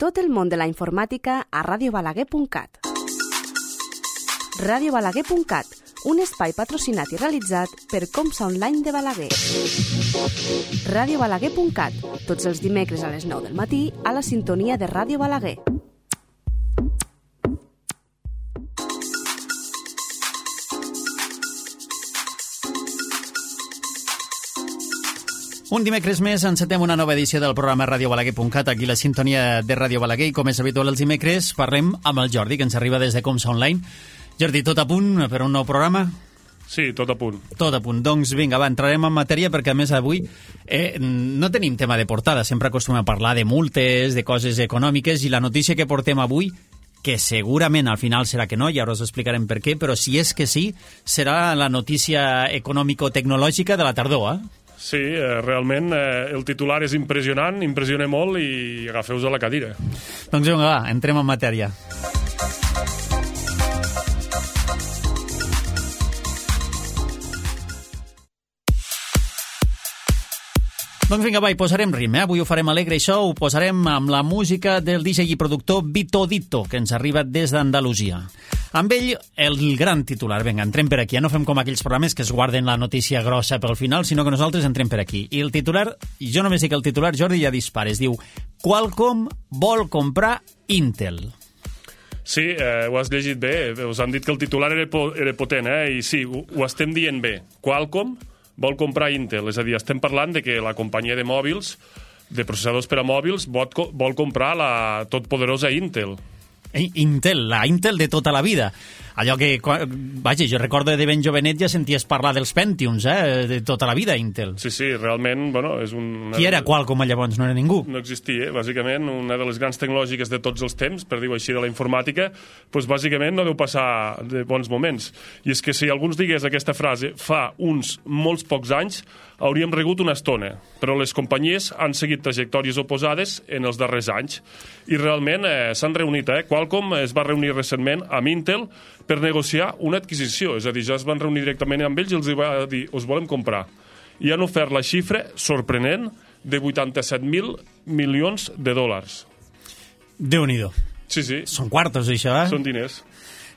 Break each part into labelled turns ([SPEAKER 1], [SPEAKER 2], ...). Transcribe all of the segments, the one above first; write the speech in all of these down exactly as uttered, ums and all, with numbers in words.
[SPEAKER 1] Tot el món de la informàtica a ràdio balaguer punt cat. ràdio balaguer punt cat, un espai patrocinat i realitzat per Comsa Online de Balaguer. ràdio balaguer punt cat, tots els dimecres a les nou del matí a la sintonia de Ràdio Balaguer.
[SPEAKER 2] Un dimecres més encetem una nova edició del programa ràdio balaguer punt cat, aquí la sintonia de Ràdio Balaguer, i com és habitual els dimecres parlem amb el Jordi, que ens arriba des de Comsa Online. Jordi, tot a punt per un nou programa?
[SPEAKER 3] Sí, tot a punt.
[SPEAKER 2] Tot a punt. Doncs vinga, va, entrarem en matèria perquè a més avui eh, no tenim tema de portada, sempre acostumem a parlar de multes, de coses econòmiques, i la notícia que portem avui, que segurament al final serà que no, i ara us explicarem per què, però si és que sí, serà la notícia econòmico-tecnològica de la tardor, eh?
[SPEAKER 3] Sí, eh, realment eh, el titular és impressionant, impressiona molt, i agafeu-vos a la cadira.
[SPEAKER 2] Doncs vinga, va, entrem en matèria. Doncs vinga, va, hi posarem ritme, eh? Avui ho farem alegre, això ho posarem amb la música del D J i productor Vito Dito, que ens arriba des d'Andalusia. Amb ell, el gran titular. Vinga, entrem per aquí. Ja no fem com aquells programes que es guarden la notícia grossa pel final, sinó que nosaltres entrem per aquí. I el titular, jo només dic el titular, Jordi, ja dispares. Diu, Qualcomm vol comprar Intel.
[SPEAKER 3] Sí, eh, ho has llegit bé. Us han dit que el titular era, po era potent, eh? I sí, ho, ho estem dient bé. Qualcomm vol comprar Intel. És a dir, estem parlant de que la companyia de mòbils, de processadors per a mòbils, vol, vol comprar la totpoderosa Intel.
[SPEAKER 2] Intel, la Intel de tota la vida. Allò que, vaja, jo recordo de ben jovenet ja senties parlar dels Pentiums, eh? De tota la vida, Intel.
[SPEAKER 3] Sí, sí, realment, bueno, és un...
[SPEAKER 2] Qui era Qualcomm llavors? No era ningú?
[SPEAKER 3] No existia, bàsicament, una de les grans tecnològiques de tots els temps, per dir-ho així, de la informàtica, doncs bàsicament no deu passar de bons moments. I és que si algú ens digués aquesta frase fa uns molts pocs anys, hauríem regut una estona, però les companyies han seguit trajectòries oposades en els darrers anys. I realment eh, s'han reunit, eh? Qualcomm es va reunir recentment amb Intel per negociar una adquisició, és a dir, ja es van reunir directament amb ells i els va dir, us volem comprar. I han ofert la xifra sorprenent de vuitanta-set mil milions de dòlars.
[SPEAKER 2] Déu-n'hi-do.
[SPEAKER 3] Sí, sí.
[SPEAKER 2] Són quartos, això, eh?
[SPEAKER 3] Són diners.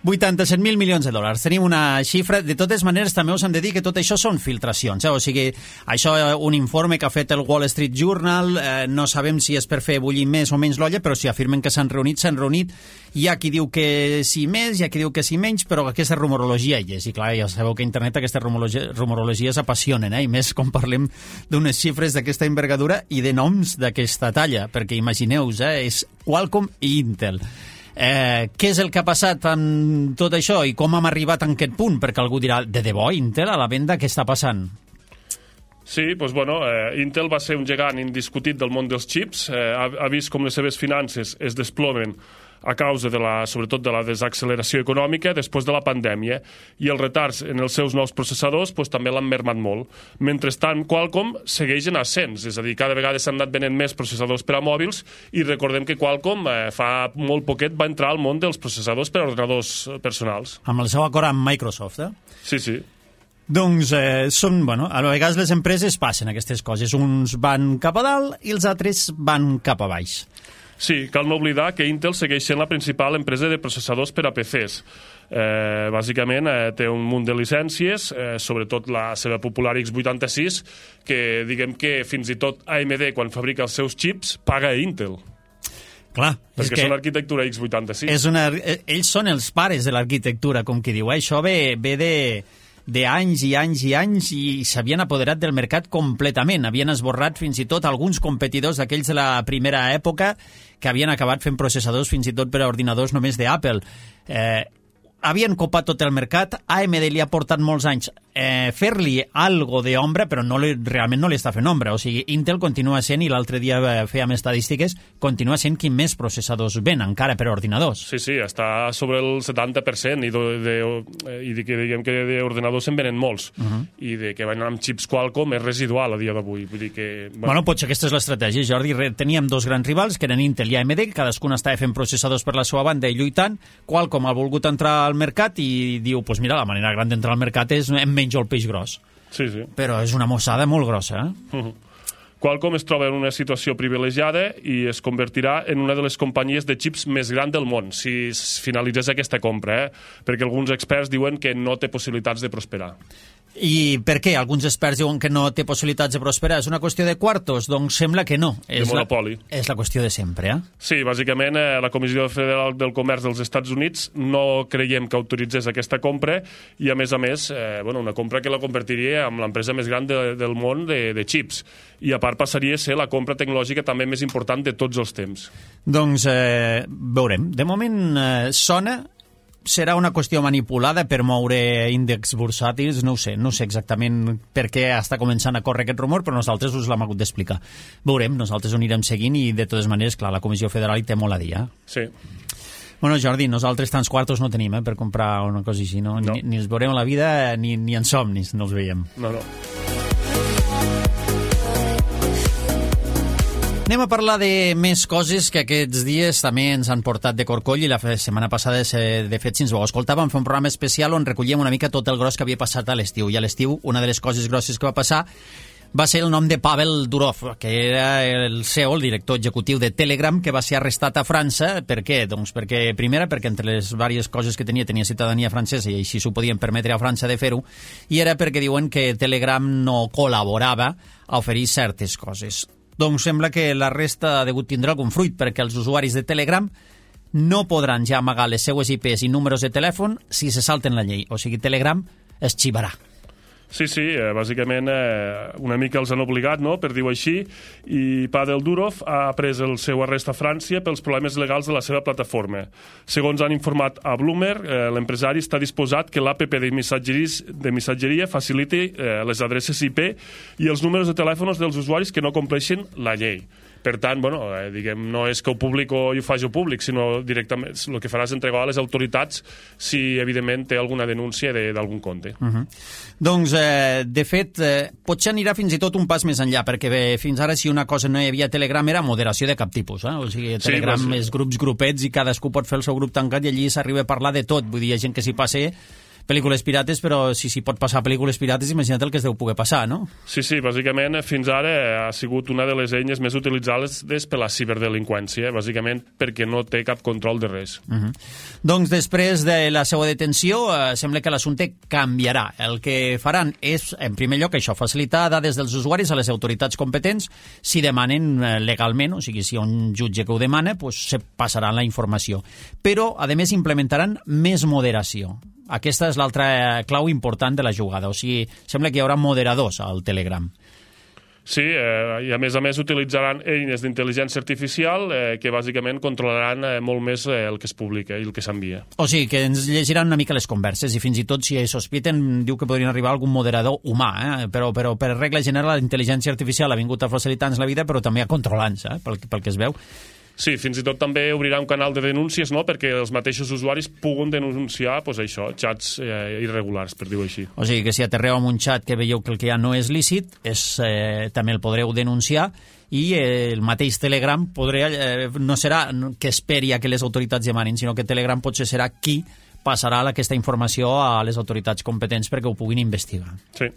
[SPEAKER 2] vuitanta-set mil milions de dòlars. Tenim una xifra. De totes maneres, també us hem de dir que tot això són filtracions. Eh? O sigui, això, un informe que ha fet el Wall Street Journal, eh, no sabem si és per fer bullir més o menys l'olla, però si afirmen que s'han reunit, s'han reunit. Hi ha qui diu que sí més, hi ha qui diu que sí menys, però aquesta rumorologia hi és. I clar, ja sabeu que a internet aquestes rumorologia, rumorologies apassionen, eh? I més com parlem d'unes xifres d'aquesta envergadura i de noms d'aquesta talla, perquè imagineu-vos, eh? És Qualcomm i Intel. Eh, què és el que ha passat amb tot això i com hem arribat a aquest punt? Perquè algú dirà, de debò, Intel a la venda, què està passant?
[SPEAKER 3] Sí, doncs, bueno, eh, Intel va ser un gegant indiscutit del món dels xips, eh, ha, ha vist com les seves finances es desplomen a causa, de la, sobretot, de la desacceleració econòmica després de la pandèmia, i els retards en els seus nous processadors pues, també l'han mermat molt. Mentrestant, Qualcomm segueix en ascens, és a dir, cada vegada s'han anat venent més processadors per a mòbils, i recordem que Qualcomm eh, fa molt poquet va entrar al món dels processadors per a ordenadors personals.
[SPEAKER 2] Amb el seu acord amb Microsoft, eh?
[SPEAKER 3] Sí, sí.
[SPEAKER 2] Doncs eh, són, bueno, a vegades les empreses passen aquestes coses. Uns van cap a dalt i els altres van cap a baix.
[SPEAKER 3] Sí, cal no oblidar que Intel segueix sent la principal empresa de processadors per a P Cs. Eh, bàsicament eh, té un munt de llicències, eh, sobretot la seva popular X vuitanta-sis, que diguem que fins i tot A M D, quan fabrica els seus xips, paga a Intel.
[SPEAKER 2] Clar,
[SPEAKER 3] perquè
[SPEAKER 2] és que
[SPEAKER 3] són arquitectura X vuitanta-sis.
[SPEAKER 2] És una, ells són els pares de l'arquitectura, com qui diu. Eh? Això ve, ve de... d'anys i anys i anys, i s'havien apoderat del mercat completament. Havien esborrat fins i tot alguns competidors d'aquells de la primera època que havien acabat fent processadors fins i tot per a ordinadors només d'Apple. Eh, havien copat tot el mercat. A M D li ha portat molts anys eh, fer-li algo d'ombra, però no li, realment no li està fent ombra. O sigui, Intel continua sent, i l'altre dia fèiem estadístiques, continua sent qui més processadors ven, encara per a ordinadors.
[SPEAKER 3] Sí, sí, està sobre el setanta per cent, i de, de, i de que diguem que d'ordinadors se'n venen molts. Uh -huh. I de que van amb xips Qualcomm és residual a dia d'avui. Vull dir que...
[SPEAKER 2] Bueno, bueno potser aquesta és l'estratègia, Jordi. Teníem dos grans rivals, que eren Intel i A M D, cadascun estava fent processadors per la seva banda i lluitant. Qualcomm ha volgut entrar al mercat i diu, pues mira, la manera gran d'entrar al mercat és em menjo el peix gros.
[SPEAKER 3] Sí, sí.
[SPEAKER 2] Però és una mossada molt grossa, eh?
[SPEAKER 3] Uh -huh. Qualcomm es troba en una situació privilegiada i es convertirà en una de les companyies de xips més gran del món, si es finalitzés aquesta compra, eh? perquè alguns experts diuen que no té possibilitats de prosperar.
[SPEAKER 2] I per què? Alguns experts diuen que no té possibilitats de prosperar. És una qüestió de quartos? Doncs sembla que no.
[SPEAKER 3] De
[SPEAKER 2] és
[SPEAKER 3] monopoli.
[SPEAKER 2] La, és la qüestió de sempre, eh?
[SPEAKER 3] Sí, bàsicament eh, la Comissió Federal del Comerç dels Estats Units no creiem que autoritzés aquesta compra i, a més a més, eh, bueno, una compra que la convertiria en l'empresa més gran de, del món de, de xips. I, a part, passaria a ser la compra tecnològica també més important de tots els temps.
[SPEAKER 2] Doncs eh, veurem. De moment eh, sona... Serà una qüestió manipulada per moure índexs bursàtils, no ho sé, no sé exactament per què està començant a córrer aquest rumor, però nosaltres us l'hem hagut d'explicar. Veurem, nosaltres ho anirem seguint i, de totes maneres, clar, la Comissió Federal hi té molt a dir, eh?
[SPEAKER 3] Sí.
[SPEAKER 2] Bueno, Jordi, nosaltres tants quartos no tenim, eh, per comprar una cosa així, no?
[SPEAKER 3] no.
[SPEAKER 2] Ni, ni els veurem a la vida, ni, ni en somnis no els veiem.
[SPEAKER 3] No, no.
[SPEAKER 2] Anem a parlar de més coses que aquests dies també ens han portat de corcoll i la setmana passada, de fet, si ens ho escoltàvem, fer un programa especial on recollíem una mica tot el gros que havia passat a l'estiu. I a l'estiu, una de les coses grosses que va passar va ser el nom de Pavel Durov, que era el C E O, el director executiu de Telegram, que va ser arrestat a França. Per què? Doncs perquè, primera, perquè entre les diverses coses que tenia, tenia ciutadania francesa i així s'ho podien permetre a França de fer-ho, i era perquè diuen que Telegram no col·laborava a oferir certes coses. Doncs sembla que l'arrest ha degut tindre algun fruit, perquè els usuaris de Telegram no podran ja amagar les seues I Pes i números de telèfon si se salten la llei. O sigui, Telegram es xivarà.
[SPEAKER 3] Sí, sí, eh, bàsicament eh, una mica els han obligat, no?, per dir-ho així, i Pavel Durov ha pres el seu arrest a França pels problemes legals de la seva plataforma. Segons han informat a Bloomberg, eh, l'empresari està disposat que l'App de, de missatgeria faciliti eh, les adreces I P i els números de telèfons dels usuaris que no compleixin la llei. Per tant, bueno, eh, diguem, no és que ho publico i ho faci públic, sinó directament el que farà és entregar a les autoritats si, evidentment, té alguna denúncia d'algun compte. Uh
[SPEAKER 2] -huh. Doncs, eh, de fet, eh, potser anirà fins i tot un pas més enllà, perquè bé, fins ara, si una cosa no hi havia Telegram, era moderació de cap tipus. Eh? O sigui, Telegram sí, és grups grupets i cadascú pot fer el seu grup tancat i allí s'arriba a parlar de tot. Vull dir, hi ha gent que s'hi passa pel·lícules pirates, però si s'hi pot passar pel·lícules pirates, imagina't el que es deu poder passar, no?
[SPEAKER 3] Sí, sí, bàsicament fins ara ha sigut una de les eines més utilitzades per la ciberdelinqüència, bàsicament perquè no té cap control de res.
[SPEAKER 2] Uh -huh. Doncs després de la seva detenció, eh, sembla que l'assumpte canviarà. El que faran és, en primer lloc, això, facilitar dades dels usuaris a les autoritats competents si demanen eh, legalment, o sigui, si hi ha un jutge que ho demana, doncs se passarà la informació. Però, a més, implementaran més moderació. Aquesta és l'altra clau important de la jugada. O sigui, sembla que hi haurà moderadors al Telegram.
[SPEAKER 3] Sí, eh, i a més a més utilitzaran eines d'intel·ligència artificial eh, que bàsicament controlaran eh, molt més eh, el que es publica i el que s'envia.
[SPEAKER 2] O sigui, que ens llegiran una mica les converses i fins i tot si sospiten diu que podrien arribar algun moderador humà, eh? però, però per regla general la intel·ligència artificial ha vingut a facilitar-nos la vida però també a controlar-nos, eh? pel, pel que es veu.
[SPEAKER 3] Sí, fins i tot també obrirà un canal de denúncies, no?, perquè els mateixos usuaris puguen denunciar, pues, això, xats eh, irregulars, per dir-ho així.
[SPEAKER 2] O sigui que si aterreu amb un xat que veieu que el que hi ha no és lícit, és, eh, també el podreu denunciar i eh, el mateix Telegram podrà, eh, no serà que esperi a que les autoritats demanin, sinó que Telegram potser serà qui passarà aquesta informació a les autoritats competents perquè ho puguin investigar.
[SPEAKER 3] Sí.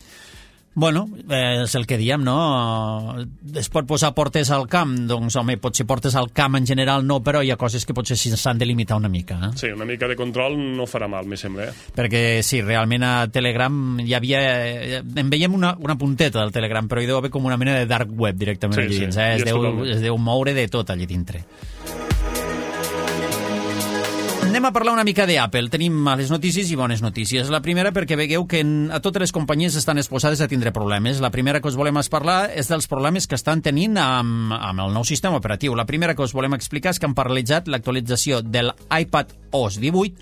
[SPEAKER 2] Bueno, eh, és el que diem, no? Es pot posar portes al camp? Doncs, home, potser portes al camp en general no, però hi ha coses que potser s'han de limitar una mica. Eh?
[SPEAKER 3] Sí, una mica de control no farà mal, me sembla. Eh?
[SPEAKER 2] Perquè, sí, realment a Telegram hi havia... En veiem una, una punteta del Telegram, però hi deu haver com una mena de dark web directament sí, allí dins. Sí, eh? es, deu, es deu moure de tot allí dintre. Anem a parlar una mica d'Apple. Tenim males notícies i bones notícies. La primera perquè vegueu que a totes les companyies estan exposades a tindre problemes. La primera que us volem parlar és dels problemes que estan tenint amb, amb el nou sistema operatiu. La primera que us volem explicar és que han paralitzat l'actualització de l'iPadOS divuit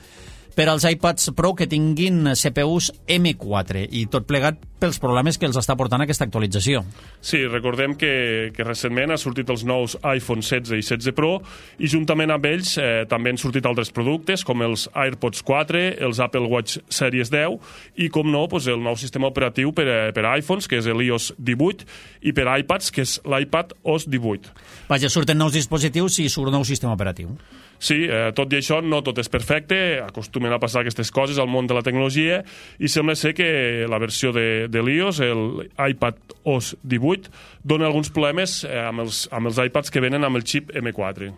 [SPEAKER 2] per als iPads Pro que tinguin C P Us M quatre i tot plegat pels problemes que els està portant aquesta actualització.
[SPEAKER 3] Sí, recordem que, que recentment ha sortit els nous iPhone setze i setze Pro i juntament amb ells eh, també han sortit altres productes com els AirPods quatre, els Apple Watch Series deu i, com no, doncs el nou sistema operatiu per a, per a iPhones, que és l'iOS divuit, i per a iPads, que és l'iPadOS divuit.
[SPEAKER 2] Vaja, surten nous dispositius i surt un nou sistema operatiu.
[SPEAKER 3] Sí, eh, tot i això no tot és perfecte, acostumem acostumen a passar aquestes coses al món de la tecnologia, i sembla ser que la versió de, de l'i o ess, el iPad o ess divuit, dona alguns problemes eh, amb, els, amb els iPads que venen amb el xip eme quatre.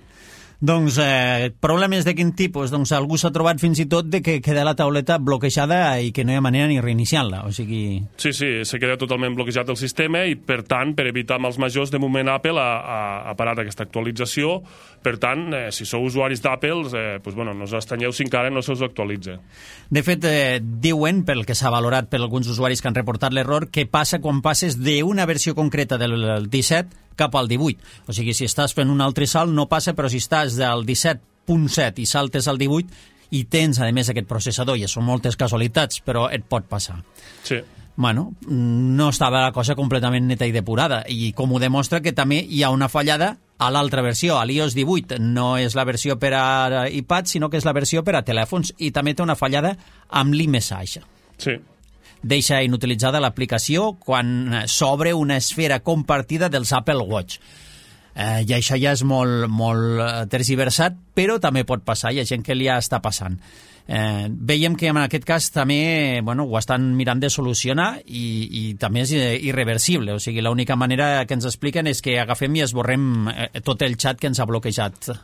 [SPEAKER 2] Doncs eh, problemes de quin tipus? Doncs algú s'ha trobat fins i tot de que queda la tauleta bloquejada i que no hi ha manera ni reiniciar-la, o sigui...
[SPEAKER 3] Sí, sí, se queda totalment bloquejat el sistema i, per tant, per evitar mals majors, de moment Apple ha, ha, ha parat aquesta actualització. Per tant, eh, si sou usuaris d'Apple, eh, pues, bueno, no us estranyeu si encara no se us actualitza.
[SPEAKER 2] De fet, eh, diuen, pel que s'ha valorat per alguns usuaris que han reportat l'error, què passa quan passes d'una versió concreta del disset cap al divuit. O sigui, si estàs fent un altre salt, no passa, però si estàs del disset punt set i saltes al divuit i tens, a més, aquest processador, i són moltes casualitats, però et pot passar.
[SPEAKER 3] Sí.
[SPEAKER 2] Bueno, no estava la cosa completament neta i depurada, i com ho demostra que també hi ha una fallada a l'altra versió, a l'i o ess divuit. No és la versió per a iPad, sinó que és la versió per a telèfons, i també té una fallada amb l'iMessage.
[SPEAKER 3] Sí.
[SPEAKER 2] Deixa inutilitzada l'aplicació quan s'obre una esfera compartida dels Apple Watch. Eh, I això ja és molt, molt tergiversat, però també pot passar, hi ha gent que li està passant. Eh, veiem que en aquest cas també bueno, ho estan mirant de solucionar i, i també és irreversible, o sigui, l'única manera que ens expliquen és que agafem i esborrem tot el xat que ens ha bloquejat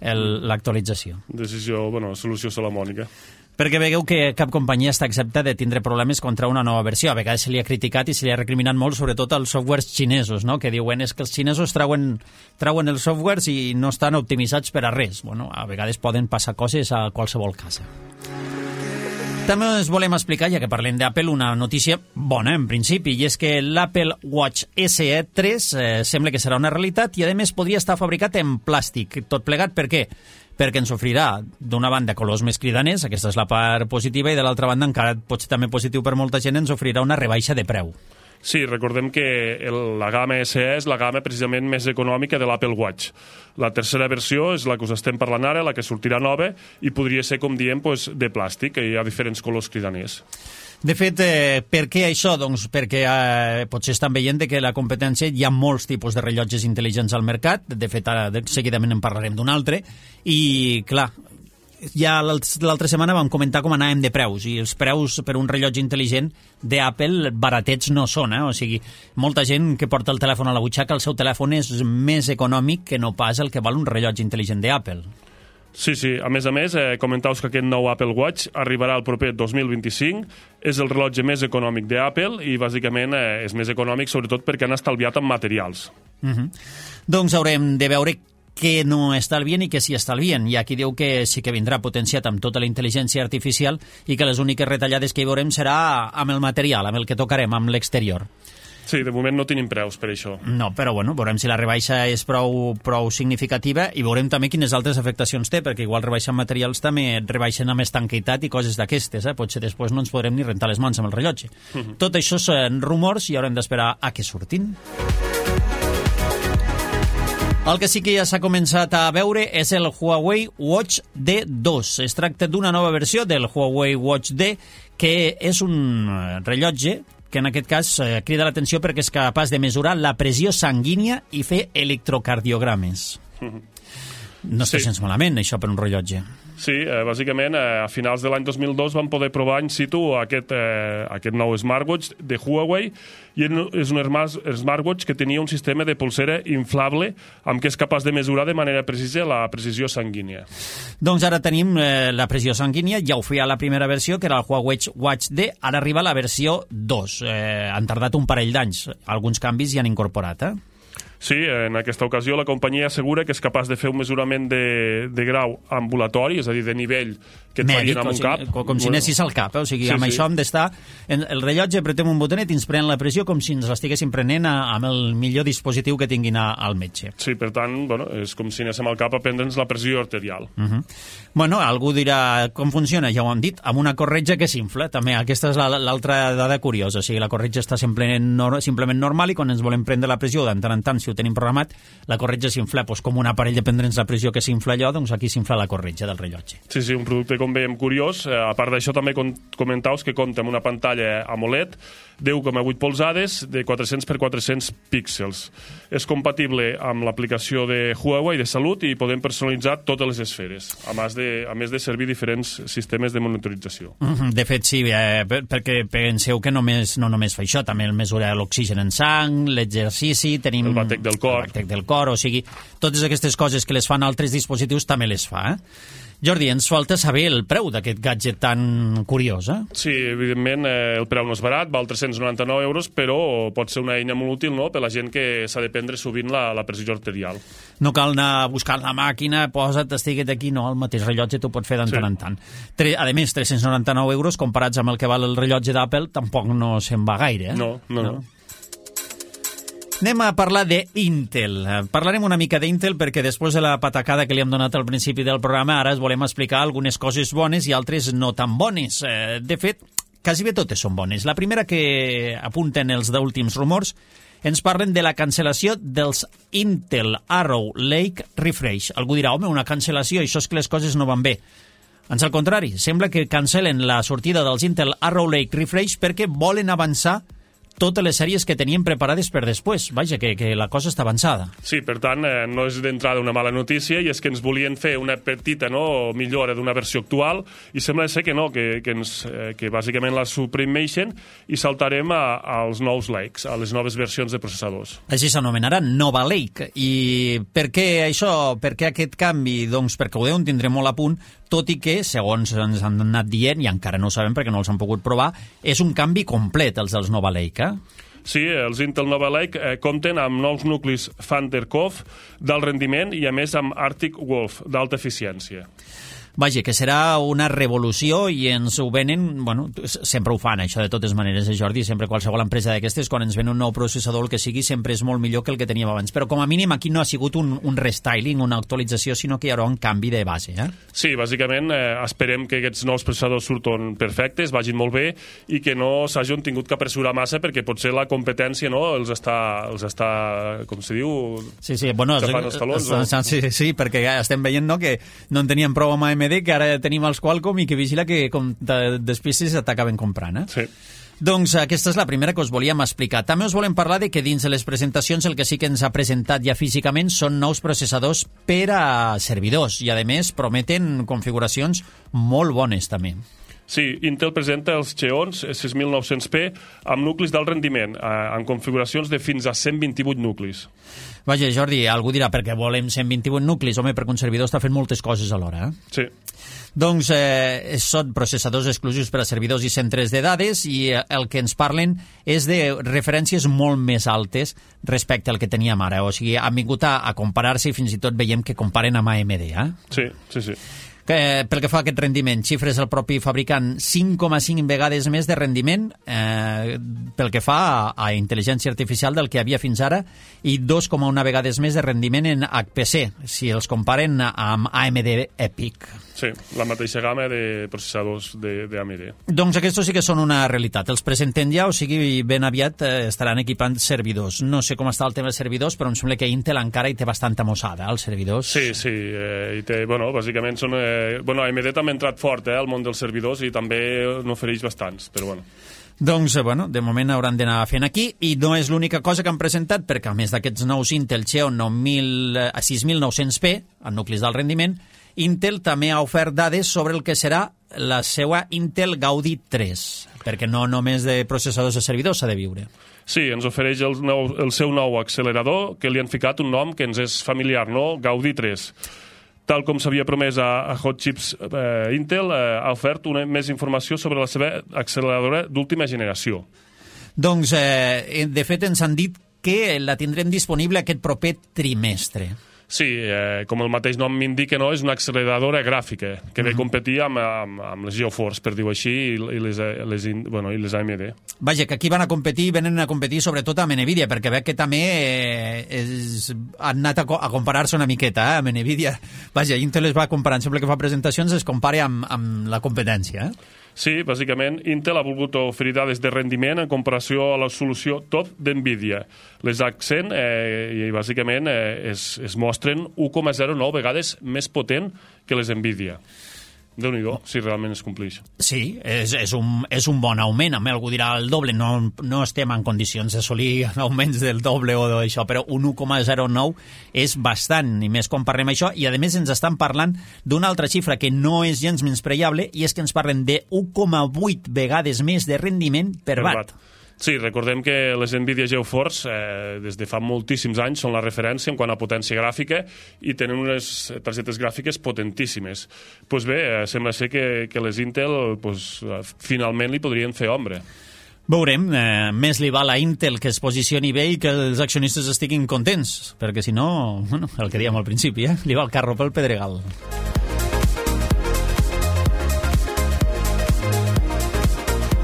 [SPEAKER 2] l'actualització.
[SPEAKER 3] Decisió, bueno, solució salamònica.
[SPEAKER 2] Perquè veieu que cap companyia està exempta de tindre problemes contra una nova versió. A vegades se li ha criticat i se li ha recriminat molt, sobretot als softwares xinesos, no? Que diuen és que els xinesos trauen, trauen els softwares i no estan optimitzats per a res. Bueno, a vegades poden passar coses a qualsevol casa. També us volem explicar, ja que parlem d'Apple, una notícia bona en principi, i és que l'Apple Watch esse e tres eh, sembla que serà una realitat i a més podria estar fabricat en plàstic. Tot plegat per què? Perquè ens ofrirà d'una banda colors més cridaners, aquesta és la part positiva, i de l'altra banda, encara pot ser també positiu per molta gent, ens ofrirà una rebaixa de preu.
[SPEAKER 3] Sí, recordem que el, la gamma esse e és la gamma precisament més econòmica de l'Apple Watch. La tercera versió és la que us estem parlant ara, la que sortirà nova, i podria ser, com diem, pues, de plàstic, que hi ha diferents colors cridaners.
[SPEAKER 2] De fet, eh, per què això? Doncs perquè eh, potser estan veient que la competència hi ha molts tipus de rellotges intel·ligents al mercat, de fet ara de, seguidament en parlarem d'un altre, i clar, ja l'altra setmana vam comentar com anàvem de preus, i els preus per un rellotge intel·ligent d'Apple baratets no són, eh? O sigui, molta gent que porta el telèfon a la butxaca, el seu telèfon és més econòmic que no pas el que val un rellotge intel·ligent d'Apple.
[SPEAKER 3] Sí, sí. A més a més, eh, comentau que aquest nou Apple Watch arribarà el proper dos mil vint-i-cinc, és el rellotge més econòmic d'Apple i, bàsicament, eh, és més econòmic sobretot perquè han estalviat en materials.
[SPEAKER 2] Uh-huh. Doncs haurem de veure què no estalvien i què sí estalvien. Hi ha qui diu que sí que vindrà potenciat amb tota la intel·ligència artificial i que les úniques retallades que hi veurem serà amb el material, amb el que tocarem, amb l'exterior.
[SPEAKER 3] Sí, de moment no tenim preus per això.
[SPEAKER 2] No, però bueno, veurem si la rebaixa és prou, prou significativa i veurem també quines altres afectacions té, perquè igual rebaixant materials també rebaixen amb estanquitat i coses d'aquestes, eh? Potser després no ens podrem ni rentar les mans amb el rellotge. Uh-huh. Tot això són rumors i haurem d'esperar a que surtin. El que sí que ja s'ha començat a veure és el Huawei Watch D dos. Es tracta d'una nova versió del Huawei Watch D, que és un rellotge que en aquest cas eh, crida l'atenció perquè és capaç de mesurar la pressió sanguínia i fer electrocardiogrames. Mm-hmm. No està sí. gens malament, això, per un rellotge.
[SPEAKER 3] Sí, eh, bàsicament, eh, a finals de l'any dos mil dos van poder provar in situ aquest, eh, aquest nou smartwatch de Huawei, i és un smartwatch que tenia un sistema de polsera inflable amb què és capaç de mesurar de manera precisa la precisió sanguínia.
[SPEAKER 2] Doncs ara tenim eh, la pressió sanguínia, ja ho feia la primera versió, que era el Huawei Watch D, ara arriba la versió dos. Eh, han tardat un parell d'anys, alguns canvis hi han incorporat, eh?
[SPEAKER 3] Sí, en aquesta ocasió la companyia assegura que és capaç de fer un mesurament de, de grau ambulatori, és a dir, de nivell que et
[SPEAKER 2] mèdic,
[SPEAKER 3] farien amb un
[SPEAKER 2] sigui,
[SPEAKER 3] cap.
[SPEAKER 2] Com, com si anessis al cap, eh? O sigui, sí, amb sí. això hem d'estar... El rellotge apretem un botonet i ens pren la pressió com si ens l'estiguéssim prenent a, amb el millor dispositiu que tinguin a, al metge.
[SPEAKER 3] Sí, per tant, bueno, és com si anéssim al cap a prendre'ns la pressió arterial.
[SPEAKER 2] Uh -huh. Bueno, algú dirà com funciona, ja ho hem dit, amb una corretja que s'infla, també. Aquesta és l'altra dada curiosa, o sigui, la corretja està simplement, simplement normal i quan ens volem prendre la pressió, de tant en tant, si ho tenim programat, la corretja s'infla, doncs com un aparell de prendre'ns la pressió que s'infla allò, doncs aquí s'infla la corretja del rellotge.
[SPEAKER 3] Sí, sí, un producte, com veiem, curiós. A part d'això, també comentaus que compta amb una pantalla AMOLED deu coma vuit polzades de quatre-cents per quatre-cents píxels. És compatible amb l'aplicació de Huawei de salut i podem personalitzar totes les esferes, a més de, a més de servir diferents sistemes de monitorització.
[SPEAKER 2] De fet, sí, eh, perquè penseu que només, no només fa això, també el mesura l'oxigen en sang, l'exercici, tenim...
[SPEAKER 3] El batec del cor.
[SPEAKER 2] El batec del cor, o sigui, totes aquestes coses que les fan altres dispositius també les fa, eh? Jordi, ens falta saber el preu d'aquest gadget tan curiós, eh?
[SPEAKER 3] Sí, evidentment, eh, el preu no és barat, val tres-cents noranta-nou euros, però pot ser una eina molt útil, no?, per la gent que s'ha de prendre sovint la, la pressió arterial.
[SPEAKER 2] No cal anar buscant la màquina, posa't, estiguet aquí, no, el mateix rellotge t'ho pot fer de
[SPEAKER 3] Sí.
[SPEAKER 2] tant en tant. Tre- A més, tres-cents noranta-nou euros, comparats amb el que val el rellotge d'Apple, tampoc no se'n va gaire, eh?
[SPEAKER 3] No, no, no.
[SPEAKER 2] Anem a parlar d'Intel. Parlarem una mica d'Intel perquè després de la patacada que li hem donat al principi del programa, ara es volem explicar algunes coses bones i altres no tan bones. Eh, De fet, quasi bé totes són bones. La primera que apunten els últims rumors ens parlen de la cancel·lació dels Intel Arrow Lake Refresh. Algú dirà, home, una cancel·lació, això és que les coses no van bé. Ans al contrari, sembla que cancel·len la sortida dels Intel Arrow Lake Refresh perquè volen avançar totes les sèries que tenien preparades per després. Vaja, que, que la cosa està avançada.
[SPEAKER 3] Sí, per tant, eh, no és d'entrada una mala notícia i és que ens volien fer una petita, no, millora d'una versió actual i sembla ser que no, que, que, ens, eh, que bàsicament la suprimeixen i saltarem a, als nous Lakes, a les noves versions de processadors.
[SPEAKER 2] Així s'anomenarà Nova Lake. I per què això, per què aquest canvi? Doncs perquè ho deuen tindre molt a punt, tot i que, segons ens han anat dient, i encara no ho sabem perquè no els han pogut provar, és un canvi complet, els dels Nova Lake, eh?
[SPEAKER 3] Sí, els Intel Nova Lake eh, compten amb nous nuclis Thunder Cove d'alt rendiment i, a més, amb Arctic Wolf d'alta eficiència.
[SPEAKER 2] Vaja, que serà una revolució i ens ho venen, bueno, sempre ho fan això de totes maneres, eh, Jordi, sempre qualsevol empresa d'aquestes, quan ens ven un nou processador, el que sigui, sempre és molt millor que el que teníem abans, però com a mínim aquí no ha sigut un, un restyling, una actualització, sinó que hi haurà un canvi de base, eh?
[SPEAKER 3] Sí, bàsicament eh, esperem que aquests nous processadors surten perfectes, vagin molt bé i que no s'hagin tingut que apressurar massa perquè potser la competència, no, els està, els està com se diu,
[SPEAKER 2] Sí, sí, bueno,
[SPEAKER 3] tapant els talons,
[SPEAKER 2] no?
[SPEAKER 3] no?
[SPEAKER 2] Sí, sí, perquè ja estem veient, no?, que no en teníem prou amb A M D, que ara tenim els Qualcomm i que vigila que com de, després se t'acaben comprant, eh?
[SPEAKER 3] Sí.
[SPEAKER 2] Doncs aquesta és la primera que us volíem explicar. També us volem parlar de que dins de les presentacions el que sí que ens ha presentat ja físicament són nous processadors per a servidors i, a més, prometen configuracions molt bones, també.
[SPEAKER 3] Sí, Intel presenta els Xeons sis mil nou-cents P amb nuclis d'alt rendiment, eh, en configuracions de fins a cent vint-i-vuit nuclis.
[SPEAKER 2] Vaja, Jordi, algú dirà, perquè volem cent vint-i-vuit nuclis? Home, perquè un servidor està fent moltes coses alhora, eh?
[SPEAKER 3] Sí.
[SPEAKER 2] Doncs eh, són processadors exclusius per a servidors i centres de dades i eh, el que ens parlen és de referències molt més altes respecte al que teníem ara. O sigui, han vingut a, a comparar-se i fins i tot veiem que comparen amb A M D, eh?
[SPEAKER 3] Sí, sí, sí.
[SPEAKER 2] Que, pel que fa a aquest rendiment, xifres el propi fabricant cinc coma cinc vegades més de rendiment eh, pel que fa a, a intel·ligència artificial del que havia fins ara i dos coma un vegades més de rendiment en H P C, si els comparen amb A M D EPIC.
[SPEAKER 3] Sí, la mateixa gamma de processadors de, de A M D.
[SPEAKER 2] Doncs aquests sí que són una realitat. Els presenten ja, o sigui, ben aviat eh, estaran equipant servidors. No sé com està el tema de servidors, però em sembla que Intel encara hi té bastanta mossada, els servidors.
[SPEAKER 3] Sí, sí, eh, i té, bueno, bàsicament són... Eh, bueno, A M D també ha entrat fort eh, al món dels servidors i també n'ofereix bastants, però bueno.
[SPEAKER 2] Doncs, bueno, de moment hauran d'anar fent aquí i no és l'única cosa que han presentat perquè a més d'aquests nous Intel Xeon sis mil nou-cents P, en nuclis d'alt rendiment, Intel també ha ofert dades sobre el que serà la seva Intel Gaudi tres, perquè no només de processadors de servidors s'ha de viure.
[SPEAKER 3] Sí, ens ofereix el, nou, el seu nou accelerador, que li han ficat un nom que ens és familiar, no? Gaudi tres. Tal com s'havia promès a, a Hot Chips eh, Intel, eh, ha ofert una, més informació sobre la seva acceleradora d'última generació.
[SPEAKER 2] Doncs, eh, de fet, ens han dit que la tindrem disponible aquest proper trimestre.
[SPEAKER 3] Sí, eh, com el mateix nom m'indica, no? És una acceleradora gràfica que ve a competir amb, amb, amb les GeoForce, per dir-ho així, i, i, les, les, bueno, i les A M D.
[SPEAKER 2] Vaja, que aquí van a competir, venen a competir sobretot amb NVIDIA, perquè veig que també eh, és, han anat a, a comparar-se una miqueta eh, amb NVIDIA. Vaja, Intel es va comparant, sempre que fa presentacions es compara amb, amb la competència, eh?
[SPEAKER 3] Sí, bàsicament, Intel ha volgut oferir dades de rendiment en comparació a la solució top d'NVIDIA. Les Accent, eh, i bàsicament, eh, es, es mostren u coma zero nou vegades més potent que les NVIDIA. Déu-n'hi-do, si realment es complix.
[SPEAKER 2] Sí, és, és, un, és un bon augment. A mi algú dirà el doble, no, no estem en condicions d'assolir augments del doble o d'això, però un u coma zero nou és bastant, i més quan parlem això, i a més ens estan parlant d'una altra xifra que no és gens menyspreable, i és que ens parlen de u coma vuit vegades més de rendiment per, per watt. watt.
[SPEAKER 3] Sí, recordem que les NVIDIA GeForce eh, des de fa moltíssims anys són la referència en quant a potència gràfica i tenen unes targetes gràfiques potentíssimes. Doncs pues bé, eh, sembla ser que, que les Intel pues, finalment li podrien fer ombra.
[SPEAKER 2] Veurem, eh, més li val a Intel que es posicioni bé i que els accionistes estiguin contents, perquè si no, bueno, el que dèiem al principi, eh, li va el carro pel pedregal.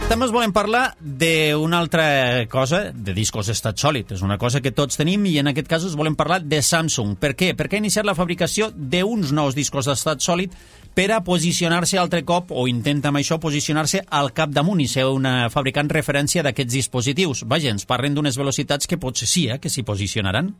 [SPEAKER 2] També us volem parlar d'una altra cosa, de discos d'estat sòlid. És una cosa que tots tenim i en aquest cas us volem parlar de Samsung. Per què? Perquè ha iniciat la fabricació d'uns nous discos d'estat sòlid per a posicionar-se altre cop, o intenta amb això posicionar-se al capdamunt i ser una fabricant referència d'aquests dispositius. Vaja, ens parlen d'unes velocitats que potser sí, eh, que s'hi posicionaran.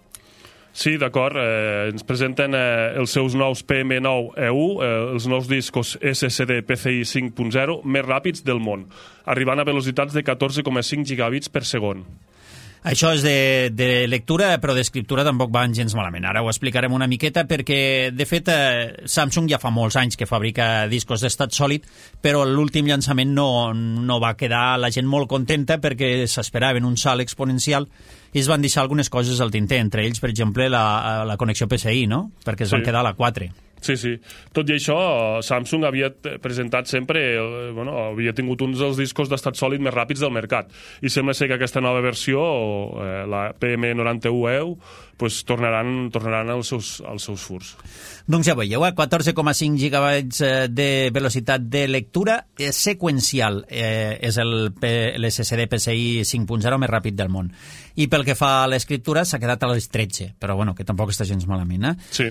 [SPEAKER 3] Sí, d'acord. Eh, ens presenten eh, els seus nous P M nou E U, eh, els nous discos S S D P C I cinc punt zero més ràpids del món, arribant a velocitats de catorze coma cinc gigabits per segon.
[SPEAKER 2] Això és de, de lectura, però d'escriptura tampoc van gens malament. Ara ho explicarem una miqueta perquè, de fet, eh, Samsung ja fa molts anys que fabrica discos d'estat sòlid, però l'últim llançament no, no va quedar la gent molt contenta perquè s'esperaven un salt exponencial i es van deixar algunes coses al tinter, entre ells, per exemple, la, la connexió P C I, no? Perquè es van
[SPEAKER 3] Sí.
[SPEAKER 2] quedar a la quatre.
[SPEAKER 3] Sí, sí. Tot i això, Samsung havia presentat sempre, eh, bueno, havia tingut uns dels discos d'estat sòlid més ràpids del mercat. I sembla ser que aquesta nova versió, eh, la P M noranta-u E U, pues, tornaran, tornaran als seus, als seus furs.
[SPEAKER 2] Doncs ja veieu, eh? catorze coma cinc gigabytes de velocitat de lectura eh, seqüencial. Eh, és el l'S S D P C I cinc punt zero més ràpid del món. I pel que fa a l'escriptura s'ha quedat a les tretze, però bueno, que tampoc està gens malament. Eh?
[SPEAKER 3] Sí.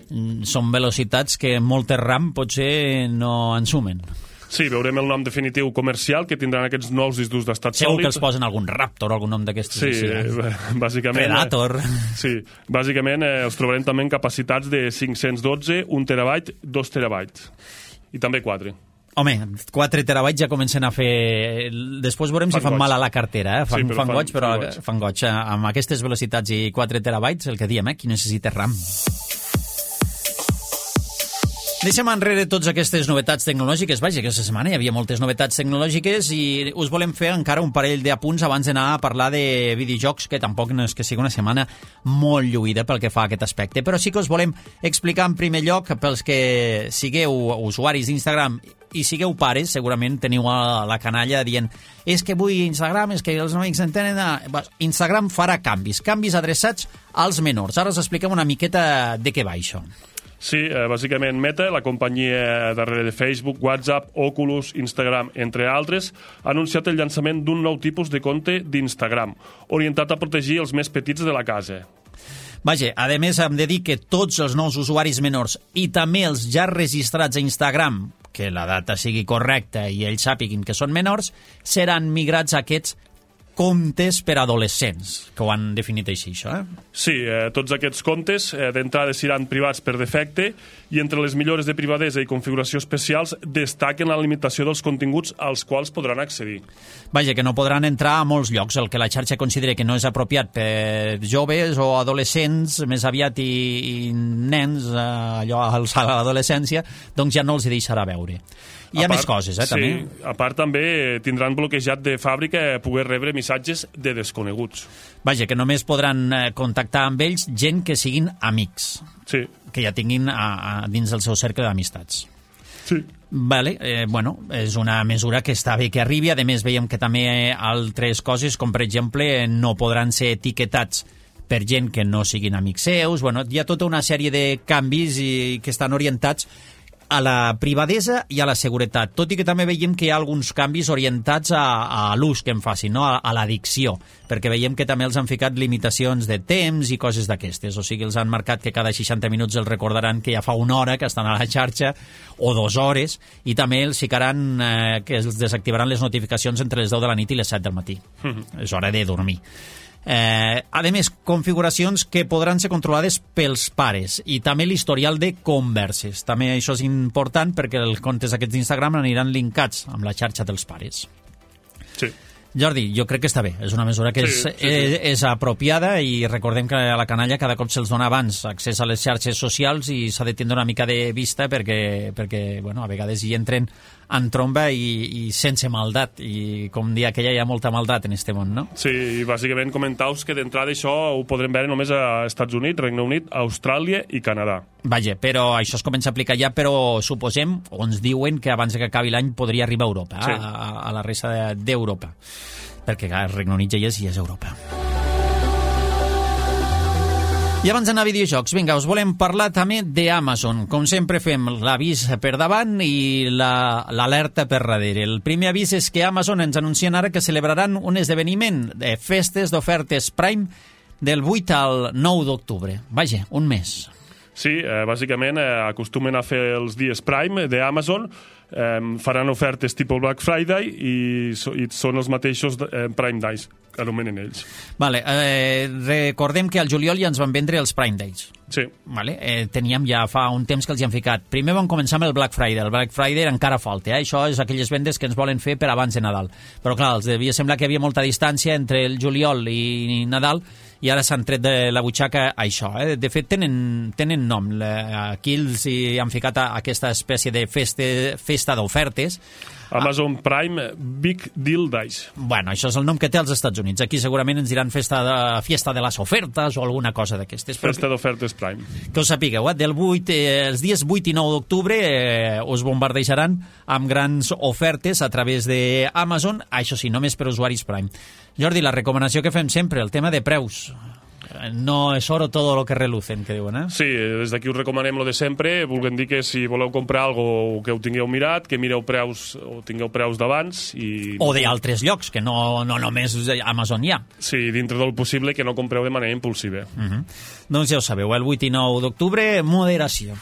[SPEAKER 2] Són velocitats que moltes RAM potser no en sumen.
[SPEAKER 3] Sí, veurem el nom definitiu comercial que tindran aquests nous discos d'estat sòlid.
[SPEAKER 2] Segur que els posen algun Raptor o algun nom d'aquestos.
[SPEAKER 3] Sí,
[SPEAKER 2] així, eh?
[SPEAKER 3] bàsicament...
[SPEAKER 2] Predator.
[SPEAKER 3] Sí, bàsicament eh, els trobarem també en capacitats de cinc-cents dotze, un terabyte, dos terabytes. I també quatre.
[SPEAKER 2] Home, quatre terabytes ja comencen a fer... Després veurem fan si fan goig. Mal a la cartera, eh? Fan, sí, fan, fan goig, però fan goig. fan goig. Amb aquestes velocitats i quatre terabytes, el que diem, eh? Qui necessita RAM. Deixem enrere totes aquestes novetats tecnològiques. Vaja, aquesta setmana hi havia moltes novetats tecnològiques i us volem fer encara un parell d'apunts abans d'anar a parlar de videojocs, que tampoc no és que sigui una setmana molt lluïda pel que fa a aquest aspecte. Però sí que us volem explicar en primer lloc, pels que sigueu usuaris d'Instagram i sigueu pares, segurament teniu a la canalla dient és que vull Instagram, és que els amics entenen... Instagram farà canvis, canvis adreçats als menors. Ara us expliquem una miqueta de què va això.
[SPEAKER 3] Sí, eh, bàsicament Meta, la companyia darrere de Facebook, WhatsApp, Oculus, Instagram, entre altres, ha anunciat el llançament d'un nou tipus de compte d'Instagram, orientat a protegir els més petits de la casa.
[SPEAKER 2] Vaja, a més hem de dir que tots els nous usuaris menors i també els ja registrats a Instagram, que la data sigui correcta i ells sàpiguin que són menors, seran migrats a aquests comptes per adolescents, que ho han definit així, això, eh?
[SPEAKER 3] Sí, eh, tots aquests comptes eh, d'entrada seran privats per defecte i entre les millores de privadesa i configuració especials destaquen la limitació dels continguts als quals podran accedir.
[SPEAKER 2] Vaja, que no podran entrar a molts llocs. El que la xarxa considera que no és apropiat per joves o adolescents, més aviat i, i nens, eh, allò a l'adolescència, doncs ja no els hi deixarà veure. Hi ha part, més coses, eh,
[SPEAKER 3] sí,
[SPEAKER 2] també.
[SPEAKER 3] A part, també tindran bloquejat de fàbrica poder rebre missatges de desconeguts.
[SPEAKER 2] Vaja, que només podran contactar amb ells gent que siguin amics.
[SPEAKER 3] Sí.
[SPEAKER 2] Que ja tinguin a, a, dins del seu cercle d'amistats.
[SPEAKER 3] Sí.
[SPEAKER 2] Vale, eh, bueno, és una mesura que està bé que arribi. A més, veiem que també altres coses, com per exemple, no podran ser etiquetats per gent que no siguin amics seus. Bueno, hi ha tota una sèrie de canvis i, que estan orientats a la privadesa i a la seguretat, tot i que també veiem que hi ha alguns canvis orientats a, a l'ús que en facin, no? a, a l'addicció, perquè veiem que també els han ficat limitacions de temps i coses d'aquestes, o sigui, els han marcat que cada seixanta minuts els recordaran que ja fa una hora que estan a la xarxa, o dues hores, i també els ficaran eh, que els desactivaran les notificacions entre les deu de la nit i les set del matí. Mm-hmm. És hora de dormir. Eh, a més, configuracions que podran ser controlades pels pares i també l'historial de converses. També això és important perquè els comptes aquests d'Instagram aniran linkats amb la xarxa dels pares.
[SPEAKER 3] Sí.
[SPEAKER 2] Jordi, jo crec que està bé. És una mesura que
[SPEAKER 3] sí,
[SPEAKER 2] és,
[SPEAKER 3] sí, sí.
[SPEAKER 2] És, és apropiada i recordem que a la canalla cada cop se'ls dona abans accés a les xarxes socials i s'ha de tindre una mica de vista perquè, perquè bueno, a vegades hi entren en tromba i, i sense maldat. I com dia aquella hi ha molta maldat en este món, no?
[SPEAKER 3] Sí, i bàsicament comentaus que d'entrada això ho podrem veure només a Estats Units, Regne Unit, Austràlia i Canadà.
[SPEAKER 2] Vaja, però això es comença a aplicar ja, però suposem, o ens diuen que abans que acabi l'any podria arribar a Europa, sí. a, a la resta d'Europa. Perquè el Regne Unit ja és, ja és Europa. I abans d'anar a videojocs, vinga, us volem parlar també d'Amazon. Com sempre fem l'avís per davant i l'alerta la, per darrere. El primer avís és que Amazon ens anuncien ara que celebraran un esdeveniment de festes d'ofertes Prime del vuit al nou d'octubre. Vaja, un mes.
[SPEAKER 3] Sí, eh, bàsicament eh, acostumen a fer els dies Prime d'Amazon, eh, faran ofertes tipus Black Friday i, so, i són els mateixos eh, Prime Days, que anomenen ells.
[SPEAKER 2] Vale, eh, recordem que al juliol ja ens van vendre els Prime Days.
[SPEAKER 3] Sí.
[SPEAKER 2] Vale, eh, teníem ja fa un temps que els hi han ficat. Primer van començar amb el Black Friday. El Black Friday encara falta, eh? Això és aquelles vendes que ens volen fer per abans de Nadal. Però clar, els devia semblar que hi havia molta distància entre el juliol i Nadal i ara s'han tret de la butxaca això. Eh? De fet, tenen, tenen nom. Aquí els hi han ficat a aquesta espècie de festa, festa d'ofertes.
[SPEAKER 3] Amazon Prime Big Deal Days.
[SPEAKER 2] Bueno, això és el nom que té als Estats Units. Aquí segurament ens diran festa de, fiesta de les ofertes o alguna cosa d'aquestes.
[SPEAKER 3] Festa d'ofertes Prime.
[SPEAKER 2] Que us sapigueu, eh? Del vuit, eh, els dies vuit i nou d'octubre eh, us bombardejaran amb grans ofertes a través d'Amazon, això sí, només per usuaris Prime. Jordi, la recomanació que fem sempre, el tema de preus. No és oro todo lo que relucen, que diuen, eh?
[SPEAKER 3] Sí, des d'aquí us recomanem lo de sempre. Volguem dir que si voleu comprar algo que ho tingueu mirat, que mireu preus o tingueu preus d'abans i...
[SPEAKER 2] O d'altres llocs, que no, no només Amazon hi ha.
[SPEAKER 3] Sí, dintre del possible que no compreu de manera impulsiva.
[SPEAKER 2] Uh -huh. Doncs ja ho sabeu, el vuit i nou d'octubre, moderació.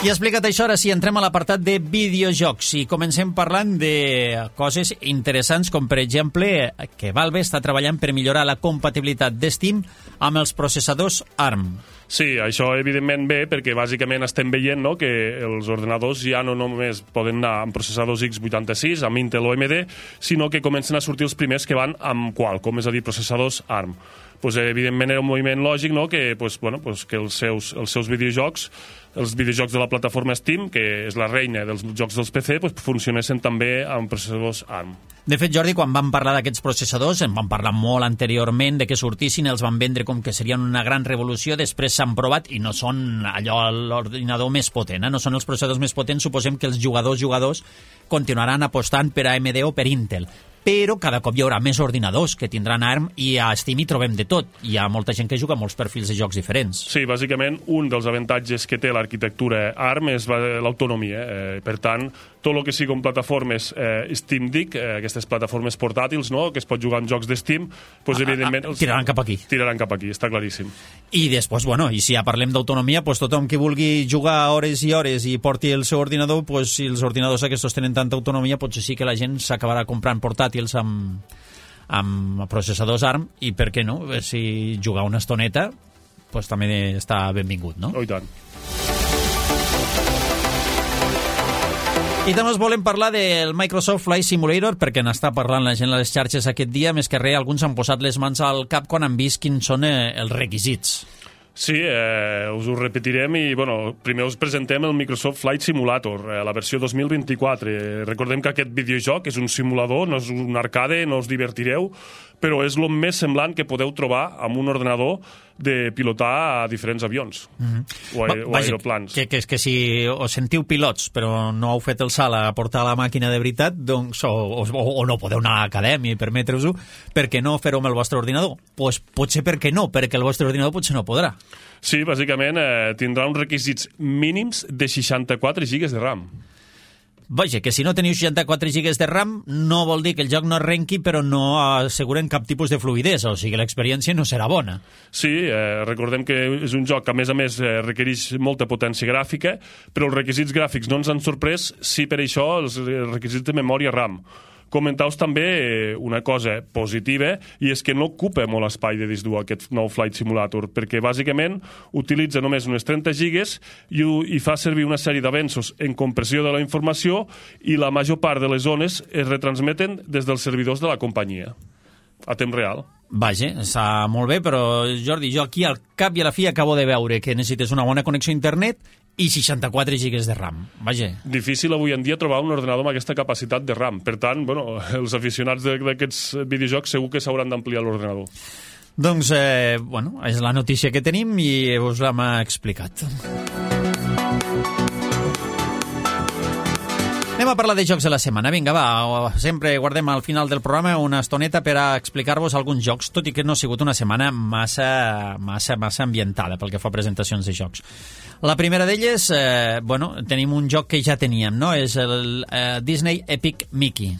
[SPEAKER 2] I explicat això, ara sí, entrem a l'apartat de videojocs i comencem parlant de coses interessants, com per exemple que Valve està treballant per millorar la compatibilitat de Steam amb els processadors ARM.
[SPEAKER 3] Sí, això evidentment bé, perquè bàsicament estem veient, no, que els ordenadors ja no només poden anar amb processadors x vuitanta-sis, amb Intel o A M D, sinó que comencen a sortir els primers que van amb Qualcomm, és a dir, processadors ARM. Pues, evidentment era un moviment lògic, no?, que, pues, bueno, pues, que els seus, els seus videojocs, els videojocs de la plataforma Steam, que és la reina dels jocs dels P C, pues, funcionessin també amb processadors ARM.
[SPEAKER 2] De fet, Jordi, quan vam parlar d'aquests processadors, en vam parlar molt anteriorment de que sortissin, els van vendre com que serien una gran revolució, després s'han provat i no són allò l'ordinador més potent, eh? No són els processadors més potents, suposem que els jugadors jugadors continuaran apostant per A M D o per Intel. Però cada cop hi haurà més ordinadors que tindran ARM i a Steam hi trobem de tot. Hi ha molta gent que juga molts perfils de jocs diferents.
[SPEAKER 3] Sí, bàsicament un dels avantatges que té l'arquitectura ARM és l'autonomia. Eh? Per tant, tot el que siguin plataformes eh, Steam Deck, eh, aquestes plataformes portàtils, no?, que es pot jugar amb jocs de Steam, pues,
[SPEAKER 2] ah,
[SPEAKER 3] evidentment...
[SPEAKER 2] Ah, tiraran cap aquí.
[SPEAKER 3] Tiraran cap aquí, està claríssim.
[SPEAKER 2] I després, bueno, i si ja parlem d'autonomia, pues, tothom que vulgui jugar hores i hores i porti el seu ordinador, pues, si els ordinadors aquests tenen tanta autonomia, potser sí que la gent s'acabarà comprant portàtils amb, amb processadors ARM, i per què no? Si jugar una estoneta, pues, també està benvingut, no?
[SPEAKER 3] Oh, i tant.
[SPEAKER 2] I també us volem parlar del Microsoft Flight Simulator, perquè n'està parlant la gent a les xarxes aquest dia. Més que res, alguns han posat les mans al cap quan han vist quins són eh, els requisits.
[SPEAKER 3] Sí, eh, us ho repetirem i bueno, primer us presentem el Microsoft Flight Simulator, eh, la versió dos mil vint-i-quatre. Eh, recordem que aquest videojoc és un simulador, no és un arcade, no us divertireu, però és el més semblant que podeu trobar amb un ordinador de pilotar a diferents avions mm-hmm. o, a, o
[SPEAKER 2] Vaja,
[SPEAKER 3] aeroplans.
[SPEAKER 2] Que, que, que si us sentiu pilots però no heu fet el salt a portar la màquina de veritat, doncs, o, o, o no podeu anar a l'acadèmia i permetre-us-ho, per què no fer-ho amb el vostre ordinador? Pues potser per què no, perquè el vostre ordinador potser no podrà.
[SPEAKER 3] Sí, bàsicament eh, tindrà uns requisits mínims de seixanta-quatre gigas de RAM.
[SPEAKER 2] Vaja, que si no teniu seixanta-quatre gigas de RAM no vol dir que el joc no arrenqui, però no asseguren cap tipus de fluïdesa, o sigui, l'experiència no serà bona.
[SPEAKER 3] Sí, eh, recordem que és un joc que a més a més eh, requereix molta potència gràfica, però els requisits gràfics no ens han sorprès, sí per això els requisits de memòria RAM. Comentar-vos també una cosa positiva, i és que no ocupa molt espai de disc dur aquest nou Flight Simulator, perquè bàsicament utilitza només unes trenta gigas i, i fa servir una sèrie d'avenços en compressió de la informació, i la major part de les zones es retransmeten des dels servidors de la companyia, a temps real.
[SPEAKER 2] Vaja, està molt bé, però Jordi, jo aquí al cap i a la fi acabo de veure que necessites una bona connexió a internet i seixanta-quatre gigas de RAM. Vaja.
[SPEAKER 3] Difícil avui en dia trobar un ordenador amb aquesta capacitat de RAM. Per tant, bueno, els aficionats d'aquests videojocs segur que s'hauran d'ampliar l'ordenador.
[SPEAKER 2] Doncs, eh, bueno, és la notícia que tenim i us l'hem explicat. Anem a parlar de jocs de la setmana. Vinga, va, sempre guardem al final del programa una estoneta per a explicar-vos alguns jocs, tot i que no ha sigut una setmana massa, massa, massa ambientada pel que fa a presentacions de jocs. La primera d'elles, eh, bueno, tenim un joc que ja teníem, no? És el eh, Disney Epic Mickey.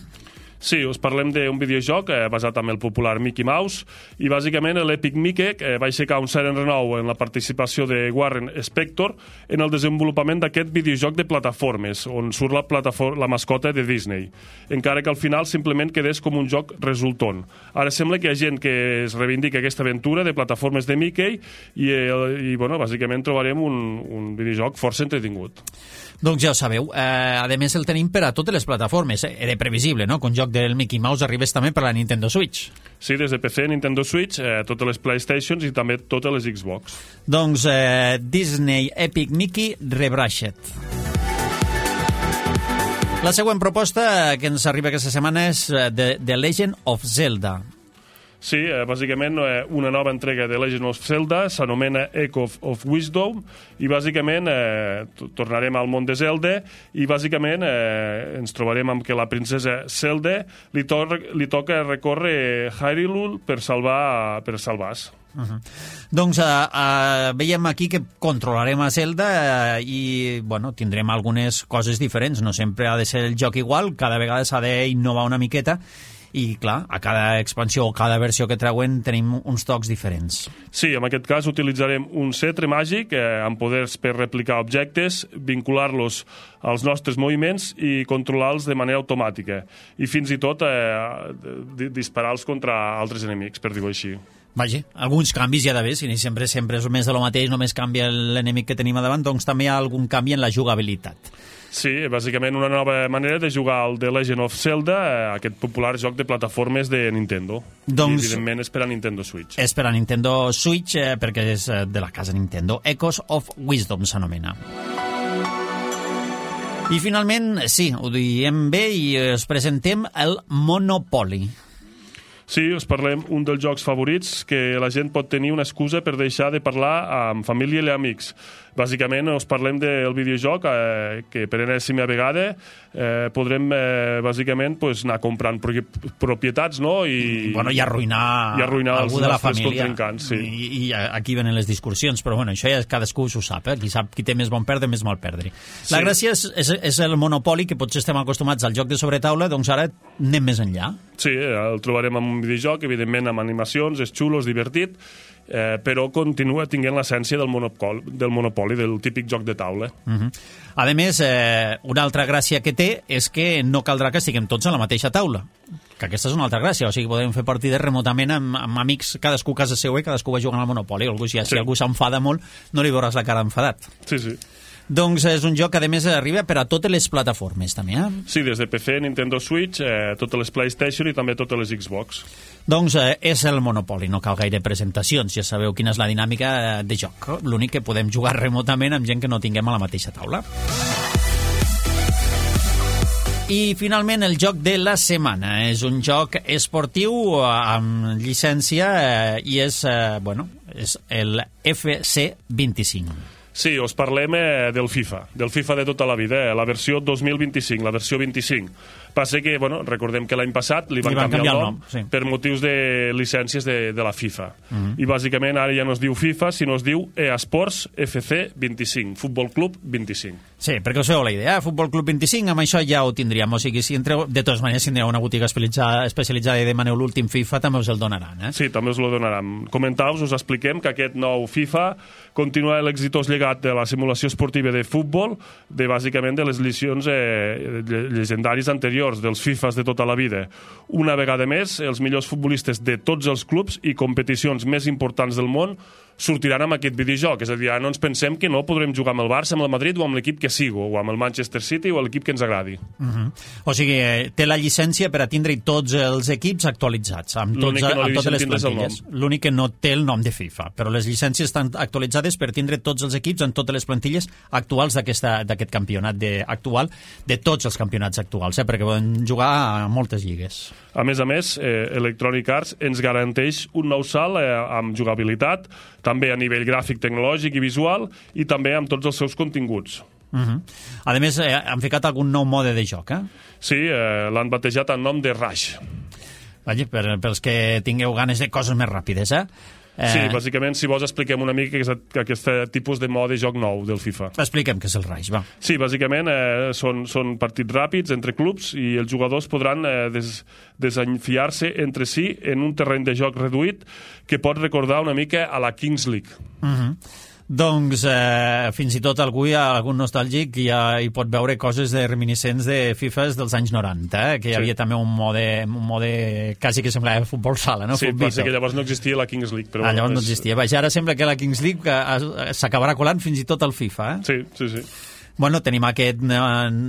[SPEAKER 3] Sí, us parlem d'un videojoc eh, basat en el popular Mickey Mouse, i bàsicament l'Epic Mickey eh, va aixecar un cert renou en la participació de Warren Spector en el desenvolupament d'aquest videojoc de plataformes, on surt la, la mascota de Disney, encara que al final simplement quedés com un joc resultant. Ara sembla que hi ha gent que es reivindica aquesta aventura de plataformes de Mickey i, eh, i bueno, bàsicament trobarem un, un videojoc força entretingut.
[SPEAKER 2] Doncs ja ho sabeu. Eh, a més, el tenim per a totes les plataformes. Eh? Era previsible, no?, que un joc del Mickey Mouse arribés també per a la Nintendo Switch.
[SPEAKER 3] Sí, des de P C, Nintendo Switch, eh, totes les PlayStations i també totes les Xbox.
[SPEAKER 2] Doncs eh, Disney Epic Mickey Rebrashed. La següent proposta que ens arriba aquesta setmana és The, The Legend of Zelda.
[SPEAKER 3] Sí, eh, bàsicament eh, una nova entrega de Legend of Zelda, s'anomena Echo of, of Wisdom, i bàsicament eh, tornarem al món de Zelda, i bàsicament eh, ens trobarem amb que la princesa Zelda li, to li toca recórrer Hyrule per salvar per salvar-se.
[SPEAKER 2] Uh -huh. Doncs uh, uh, veiem aquí que controlarem a Zelda uh, i bueno, tindrem algunes coses diferents. No sempre ha de ser el joc igual, cada vegada s'ha d'innovar una miqueta, i clar, a cada expansió o cada versió que treuen tenim uns tocs diferents.
[SPEAKER 3] Sí, en aquest cas utilitzarem un cetre màgic eh, amb poders per replicar objectes, vincular-los als nostres moviments i controlar-los de manera automàtica, i fins i tot eh, disparar-los contra altres enemics, per dir-ho així.
[SPEAKER 2] Vaja, alguns canvis hi ha d'haver, si sempre, sempre és més de lo mateix, només canvia l'enemic que tenim a davant, doncs també hi ha algun canvi en la jugabilitat.
[SPEAKER 3] Sí, bàsicament una nova manera de jugar al The Legend of Zelda, aquest popular joc de plataformes de Nintendo.
[SPEAKER 2] Doncs,
[SPEAKER 3] I, evidentment, és per a Nintendo Switch.
[SPEAKER 2] És per a Nintendo Switch, eh, perquè és de la casa Nintendo. Echoes of Wisdom s'anomena. I finalment, sí, ho diem bé i us presentem el Monopoly.
[SPEAKER 3] Sí, us parlem un dels jocs favorits que la gent pot tenir una excusa per deixar de parlar amb família i amics. Bàsicament, us parlem del videojoc eh, que per enèsima vegada eh, podrem, eh, bàsicament, pues, anar comprant propietats, no? I,
[SPEAKER 2] bueno, i arruïnar,
[SPEAKER 3] i arruïnar
[SPEAKER 2] algú
[SPEAKER 3] els
[SPEAKER 2] de la
[SPEAKER 3] nostres
[SPEAKER 2] família.
[SPEAKER 3] contrincants. Sí.
[SPEAKER 2] I, I aquí venen les discussions, però bueno, això ja cadascú s'ho sap, eh? Qui sap qui té més bon perdre, més mal perdre. La
[SPEAKER 3] Sí.
[SPEAKER 2] gràcia és, és, és el Monopoly, que potser estem acostumats al joc de sobretaula, doncs ara anem més enllà.
[SPEAKER 3] Sí, el trobarem en un videojoc, evidentment amb animacions, és xulo, és divertit, eh, però continua tinguent l'essència del monopoli, del monopoli, del típic joc de taula.
[SPEAKER 2] Uh -huh. A més, eh, una altra gràcia que té és que no caldrà que estiguem tots a la mateixa taula, que aquesta és una altra gràcia, o sigui, podem fer partides remotament amb, amb amics, cadascú a casa seva i cadascú va jugant al Monopoli, o algú, si, sí. si algú s'enfada molt, no li veuràs la cara enfadat.
[SPEAKER 3] Sí, sí.
[SPEAKER 2] Doncs és un joc que, a més, arriba per a totes les plataformes, també, eh?
[SPEAKER 3] Sí, des de P C, Nintendo Switch, eh, totes les PlayStation i també totes les Xbox.
[SPEAKER 2] Doncs eh, és el Monopoly, no cal gaire presentacions, ja sabeu quina és la dinàmica de joc. L'únic que podem jugar remotament amb gent que no tinguem a la mateixa taula. I finalment el joc de la setmana. És un joc esportiu amb llicència eh, i és, eh, bueno, és el F C vint-i-cinc.
[SPEAKER 3] Sí, us parlem eh, del FIFA, del FIFA de tota la vida, eh, la versió dos mil vint-i-cinc, la versió vint-i-cinc. Passa que, bueno, recordem que l'any passat li van,
[SPEAKER 2] li van
[SPEAKER 3] canviar,
[SPEAKER 2] canviar
[SPEAKER 3] el
[SPEAKER 2] el
[SPEAKER 3] nom,
[SPEAKER 2] nom sí.
[SPEAKER 3] per motius de llicències de, de la FIFA.
[SPEAKER 2] Uh -huh.
[SPEAKER 3] I bàsicament ara ja no es diu FIFA, sinó es diu E A Sports F C vint-i-cinc, Futbol Club vint-i-cinc.
[SPEAKER 2] Sí, perquè us feu la idea, eh? Futbol Club vint-i-cinc, amb això ja ho tindríem. O sigui, si entreu, de totes maneres, si tindreu una botiga especialitzada, especialitzada i demaneu l'últim FIFA, també us el donaran, eh?
[SPEAKER 3] Sí, també us el donaran. Comentau-vos, us expliquem que aquest nou FIFA continua l'exitós llegat de la simulació esportiva de futbol, de bàsicament de les edicions eh, llegendàries anteriors, anteriors, dels FIFAs de tota la vida. Una vegada més, els millors futbolistes de tots els clubs i competicions més importants del món sortiran amb aquest videojoc. És a dir, no ens pensem que no podrem jugar amb el Barça, amb el Madrid o amb l'equip que sigui, o amb el Manchester City o l'equip que ens agradi.
[SPEAKER 2] Uh -huh. O sigui, té la llicència per a tindre tots els equips actualitzats, amb, tots,
[SPEAKER 3] no
[SPEAKER 2] amb totes les plantilles. L'únic que no té el nom de FIFA, però les llicències estan actualitzades per tindre tots els equips en totes les plantilles actuals d'aquest campionat de, actual, de tots els campionats actuals, eh? Perquè poden jugar a moltes lligues.
[SPEAKER 3] A més a més, eh, Electronic Arts ens garanteix un nou salt eh, amb jugabilitat, també a nivell gràfic, tecnològic i visual, i també amb tots els seus continguts.
[SPEAKER 2] Uh -huh. A més, eh, han ficat algun nou mode de joc, eh?
[SPEAKER 3] Sí, eh, l'han batejat en nom de Rush.
[SPEAKER 2] Vaja, per, pels que tingueu ganes de coses més ràpides, eh? Eh...
[SPEAKER 3] Sí, bàsicament, si vols, expliquem una mica aquest, aquest tipus de mode de joc nou del FIFA.
[SPEAKER 2] Expliquem què és el Rush, va.
[SPEAKER 3] Sí, bàsicament eh, són, són partits ràpids entre clubs i els jugadors podran eh, des, desenfiar-se entre si en un terreny de joc reduït que pot recordar una mica a la Kings League.
[SPEAKER 2] Uh -huh. Doncs eh, fins i tot algú, algun nostàlgic, ja hi pot veure coses de reminiscents de FIFAs dels anys noranta, eh? Que hi havia sí. també un mode, un mode quasi que semblava futbol sala, no?
[SPEAKER 3] Sí, potser que llavors no existia la Kings League. Però
[SPEAKER 2] ah, llavors
[SPEAKER 3] és...
[SPEAKER 2] no existia. Vaja, ara sembla que la Kings League s'acabarà colant fins i tot al FIFA, eh?
[SPEAKER 3] Sí, sí, sí.
[SPEAKER 2] Bueno, tenim aquest,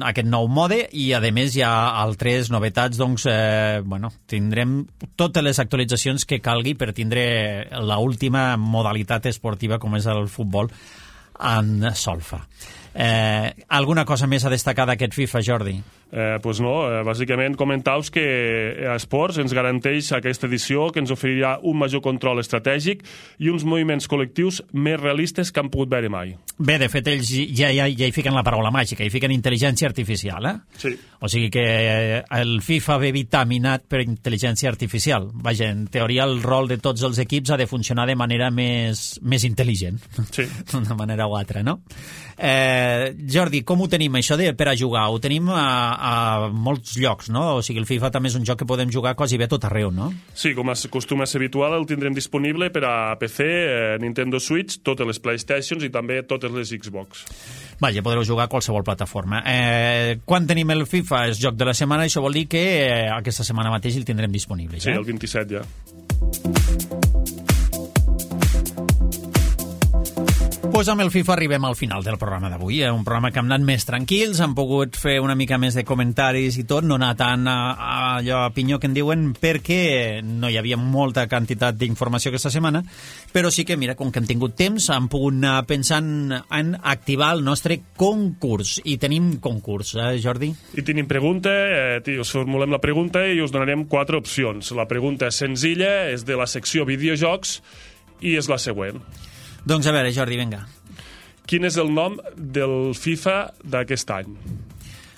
[SPEAKER 2] aquest nou mode i, a més, hi ha altres novetats, doncs, eh, bueno, tindrem totes les actualitzacions que calgui per tindre l'última modalitat esportiva com és el futbol en solfa. Eh, alguna cosa més a destacar d'aquest FIFA, Jordi?
[SPEAKER 3] Eh, pues no, eh, bàsicament comentaus que Esports ens garanteix aquesta edició que ens oferirà un major control estratègic i uns moviments col·lectius més realistes que han pogut veure mai.
[SPEAKER 2] Bé, de fet, ells ja, ja, ja hi fiquen la paraula màgica, hi fiquen intel·ligència artificial, eh?
[SPEAKER 3] Sí.
[SPEAKER 2] O sigui que el FIFA ve vitaminat per intel·ligència artificial. Vaja, en teoria el rol de tots els equips ha de funcionar de manera més, més intel·ligent.
[SPEAKER 3] Sí.
[SPEAKER 2] D'una manera o altra, no? Eh, Jordi, com ho tenim, això de per a jugar? Ho tenim a, a molts llocs, no? O sigui, el FIFA també és un joc que podem jugar quasi bé a tot arreu, no?
[SPEAKER 3] Sí, com acostuma a ser habitual, el tindrem disponible per a P C, eh, Nintendo Switch, totes les PlayStations i també totes les Xbox.
[SPEAKER 2] Vaja, podreu jugar a qualsevol plataforma. Eh, quan tenim el FIFA? És joc de la setmana, això vol dir que eh, aquesta setmana mateix el tindrem disponible.
[SPEAKER 3] Sí,
[SPEAKER 2] eh?
[SPEAKER 3] el vint-i-set ja.
[SPEAKER 2] Pues amb el FIFA arribem al final del programa d'avui, eh? Un programa que hem anat més tranquils, hem pogut fer una mica més de comentaris i tot, no anar tant a, a allò a pinyó que en diuen, perquè no hi havia molta quantitat d'informació aquesta setmana, però sí que, mira, com que hem tingut temps, hem pogut anar pensant en activar el nostre concurs, i tenim concurs, eh, Jordi?
[SPEAKER 3] I tenim pregunta, eh, us formulem la pregunta i us donarem quatre opcions. La pregunta és senzilla, és de la secció videojocs, i és la següent.
[SPEAKER 2] Doncs a veure, Jordi, vinga.
[SPEAKER 3] Quin és el nom del FIFA d'aquest any?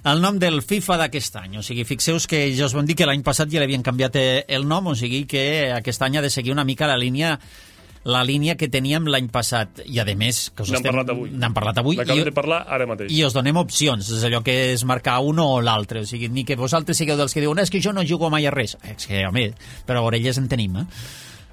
[SPEAKER 2] El nom del FIFA d'aquest any. O sigui, fixeu-vos que ja us vam dir que l'any passat ja l'havien canviat el nom, o sigui que aquest any ha de seguir una mica la línia la línia que teníem l'any passat. I, a més...
[SPEAKER 3] N'hem estem... parlat avui.
[SPEAKER 2] N'hem parlat avui.
[SPEAKER 3] N'acabem de parlar ara mateix.
[SPEAKER 2] I us donem opcions. És allò que és marcar un o l'altre. O sigui, ni que vosaltres sigueu dels que diuen és que jo no jugo mai a res. És que, home, però orelles en tenim, eh?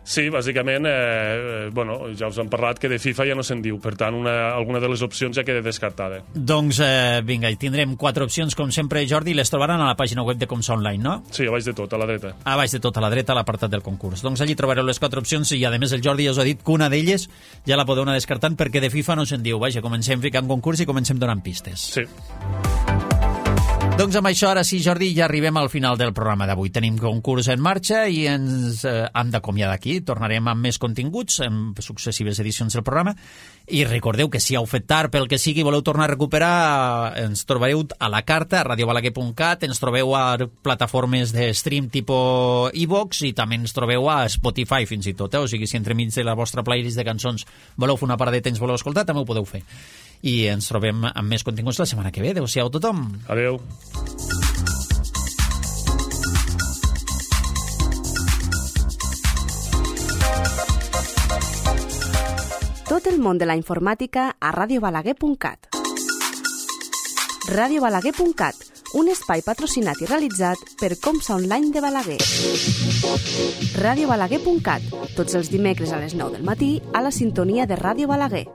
[SPEAKER 3] Sí, bàsicament, eh, bueno, ja us hem parlat que de FIFA ja no se'n diu, per tant, una, alguna de les opcions ja queda descartada.
[SPEAKER 2] Doncs, eh, vinga, tindrem quatre opcions, com sempre, Jordi, les trobaran a la pàgina web de Comsa Online, no?
[SPEAKER 3] Sí, a baix de tot, a la dreta.
[SPEAKER 2] A baix de tot, a la dreta, a l'apartat del concurs. Doncs allí trobareu les quatre opcions i, a més, el Jordi ja us ha dit que una d'elles ja la podeu anar descartant perquè de FIFA no se'n diu. Vaja, comencem ficant concurs i comencem donant pistes.
[SPEAKER 3] Sí.
[SPEAKER 2] Doncs amb això, ara sí, Jordi, ja arribem al final del programa d'avui. Tenim concurs en marxa i ens eh, hem d'acomiadar aquí. Tornarem amb més continguts, en successives edicions del programa. I recordeu que si heu fet tard, pel que sigui, voleu tornar a recuperar, ens trobareu a la carta, a radio balaguer punt cat, ens trobeu a plataformes de stream tipus iVox i també ens trobeu a Spotify, fins i tot. Eh? O sigui, si entremig de la vostra playlist de cançons voleu fer una paradeta i ens voleu escoltar, també ho podeu fer. I ens trobem amb més continguts la setmana que ve. Adéu-siau a tothom.
[SPEAKER 3] Adéu.
[SPEAKER 1] Tot el món de la informàtica a radio balaguer punt cat. radio balaguer punt cat, un espai patrocinat i realitzat per Comsa Online de Balaguer. radio balaguer punt cat, tots els dimecres a les nou del matí a la sintonia de Ràdio Balaguer.